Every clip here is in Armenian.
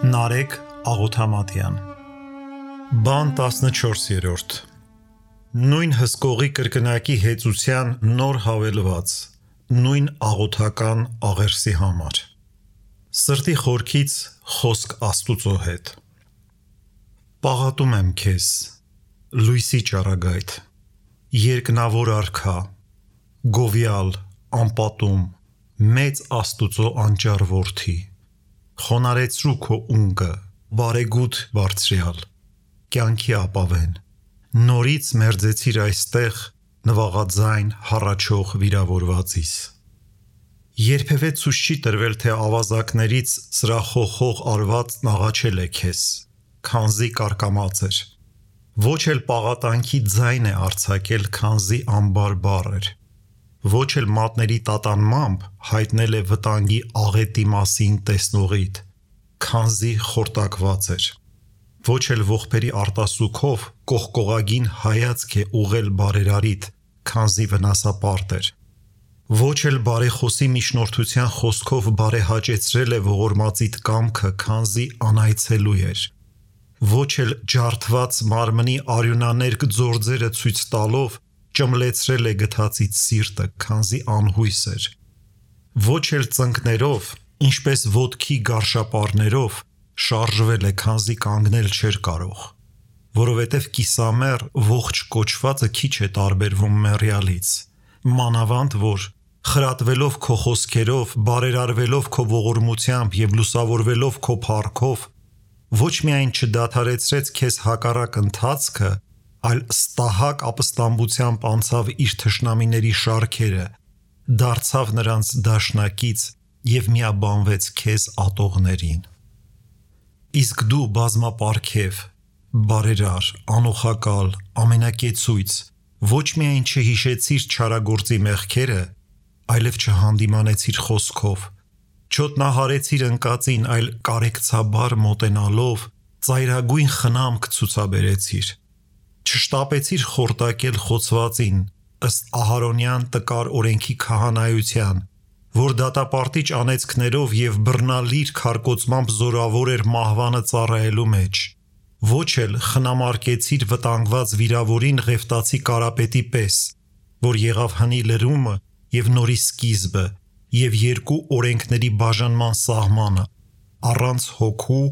Նարեկ Աղոթամատյան Բան 14-րդ Նույն հսկողի կրկնակի հեծության նոր հավելված Նույն աղոթական աղերսի համար Սրտի խորքից խոսք Աստուծո հետ Պաղատում եմ քեզ Լույսի ճառագայթ Երկնավոր արքա Գովյալ, անպատում Մեծ Աստուծո անճար որդի Խոնարեցրու քո ունկը, բարեգութ բարձրյալ, կյանքի ապավեն, նորից մերձեցիր այստեղ նվաղաձայն հառաչող վիրավորվածիս։ Երբևէ ցույց չի տրվել, թե ավազակներից սրախոխող արվածն աղաչել է քեզ, քանզի կարկամած էր, ոչ էլ պաղատանքի ձայն է արձակել, քանզի անբարբառ էր, ոչ էլ մատների տատանմամբ հայտնել է վտանգի աղետի մասին տեսնողիդ, քանզի խորտակված էր, ոչ էլ ողբերի արտասուքով կողկողագին հայացք է ուղղել բարերարիդ, քանզի վնասապարտ էր, ոչ էլ բարեխոսի միջնորդության խոսքով բարեհաճեցրել է ողորմածիդ կամքը, քանզի անայցելու էր, ոչ էլ ջարդված մարմնի արյունաներկ ձորձերը ցույց տալով ճմլեցրել է գթածից սիրտը, քանզի անհույս էր, ոչ էլ ծնկներով, ինչպես ոտքի գարշապարներով շարժվել է, քանզի կանգնել չէր կարող, որովհետև կիսամեռ ողջ կոչվածը քիչ է տարբերվում մեռյալից, մանավանդ որ խրատվելով քո խոսքերով, բարերարվելով քո ողորմությամբ և լուսավորվելով քո փառքով, ոչ միայն չդադարեցրեց քեզ հակառակ ընթացքը, այլ ստահակ ապստամբությամբ անցավ իր թշնամիների շարքերը, դարձավ նրանց դաշնակից և միաբանվեց քեզ ատողներին։ Իսկ դու բազմապարգև, բարերար, անուխակալ, ամենակեցույց, ոչ միայն չհիշեցիր չարագործի մեղքերը, այլև չհանդիմանեցիր խոսքով, չոտնահարեցիր ընկածին, այլ կարեկցաբար մոտենալով ծայրագույն խնամք ցուցաբերեցիր, չշտապեցիր խորտակել խոցվածին, ըստ Ահարոնյան տկար օրենքի քահանայության, որ դատապարտիչ անեծքներով և բռնալիր քարկոծմամբ զորավոր էր մահվանը ծառայելու մեջ, ոչ էլ խնամարկեցիր վտանգված վիրավորին Ղևտացի Կարապետի պես, որ եղավ հնի լրումը և նորի սկիզբը և երկու օրենքների բաժանման սահմանը, առանց հոգու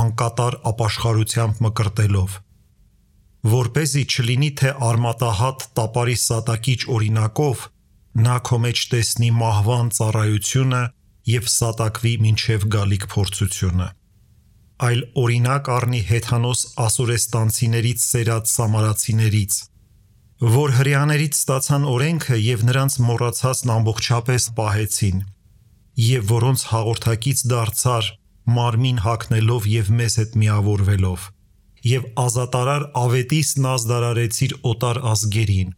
անկատար ապաշխարությամբ մկրտելով, որպեսզի չլինի, թե արմատահատ տապարի սատակիչ օրինակով նա քո մեջ տեսնի մահվան ծառայությունը և սատակվի մինչև գալիք փորձությունը, այլ օրինակ առնի հեթանոս ասորեստանցիներից սերած սամարացիներից, որ հրեաներից ստացան օրենքը և նրանց մոռացածն ամբողջապես պահեցին, և որոնց հաղորդակից դարձար մարմին հագնելով և մեզ հետ միավորվելով, և ազատարար ավետիսն ազդարարեցիր օտար ազգերին,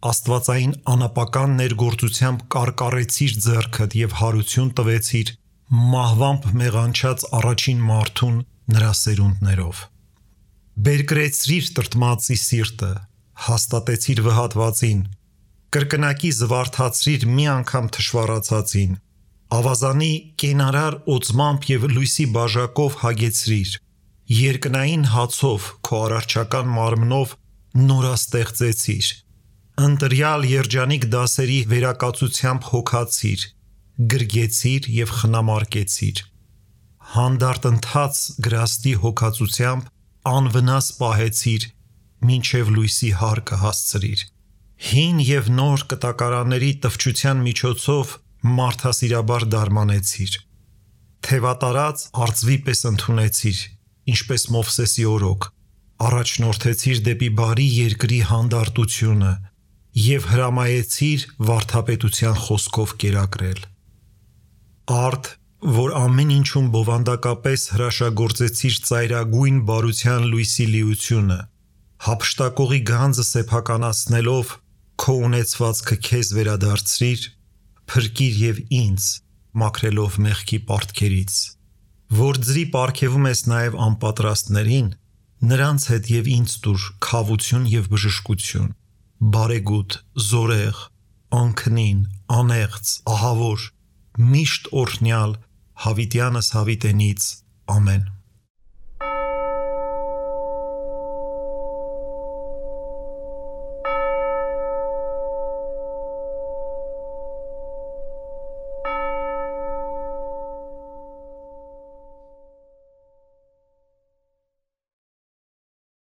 աստվածային անապական ներգործությամբ կարկառեցիր ձեռքդ և հարություն տվեցիր մահվամբ մեղանչած առաջին մարդուն նրա սերունդներով, բերկրեցրիր տրտմածի սիրտը, հաստատեցիր վհատվածին, կրկնակի զվարթացրիր մի անգամ թշվառացածին, ավազանի կենարար օծմամբ և լույսի բաժակով հագեցրիր, երկնային հացով քո արարչական մարմնով նորաստեղծեցիր, ընտրյալ երջանիկ դասերի վերակացությամբ հոգացիր, գրգեցիր և խնամարկեցիր, հանդարտ ընթաց գրաստի հոգացությամբ անվնաս պահեցիր, մինչև լույսի հարկը հասցրիր, հին և նոր կտակարանների տվչության միջոցով մարդասիրաբար դարմանեցիր, թևատարած արծվի պես ընդունեցիր, ինչպես Մովսեսի օրոք, առաջնորդեցիր դեպի բարի երկրի հանդարտությունը և հրամայեցիր վարդապետության խոսքով կերակրել։ Արդ, որ ամեն ինչում բովանդակապես հրաշագործեցիր ծայրագույն բարության լույսի լիությունը, հափշտակողի գանձը սեփականացնելով քո ունեցվածքը քեզ վերադարձրիր, փրկիր և ինձ, մաքրելով մեղքի պարտքերից, որ ձրի պարգևում ես նաև անպատրաստներին, նրանց հետ և ինձ տուր քավություն և բժշկություն, բարեգութ, զորեղ, անքնին, անեղծ, ահավոր, միշտ օրհնյալ, հավիտյանս հավիտենից, ամեն։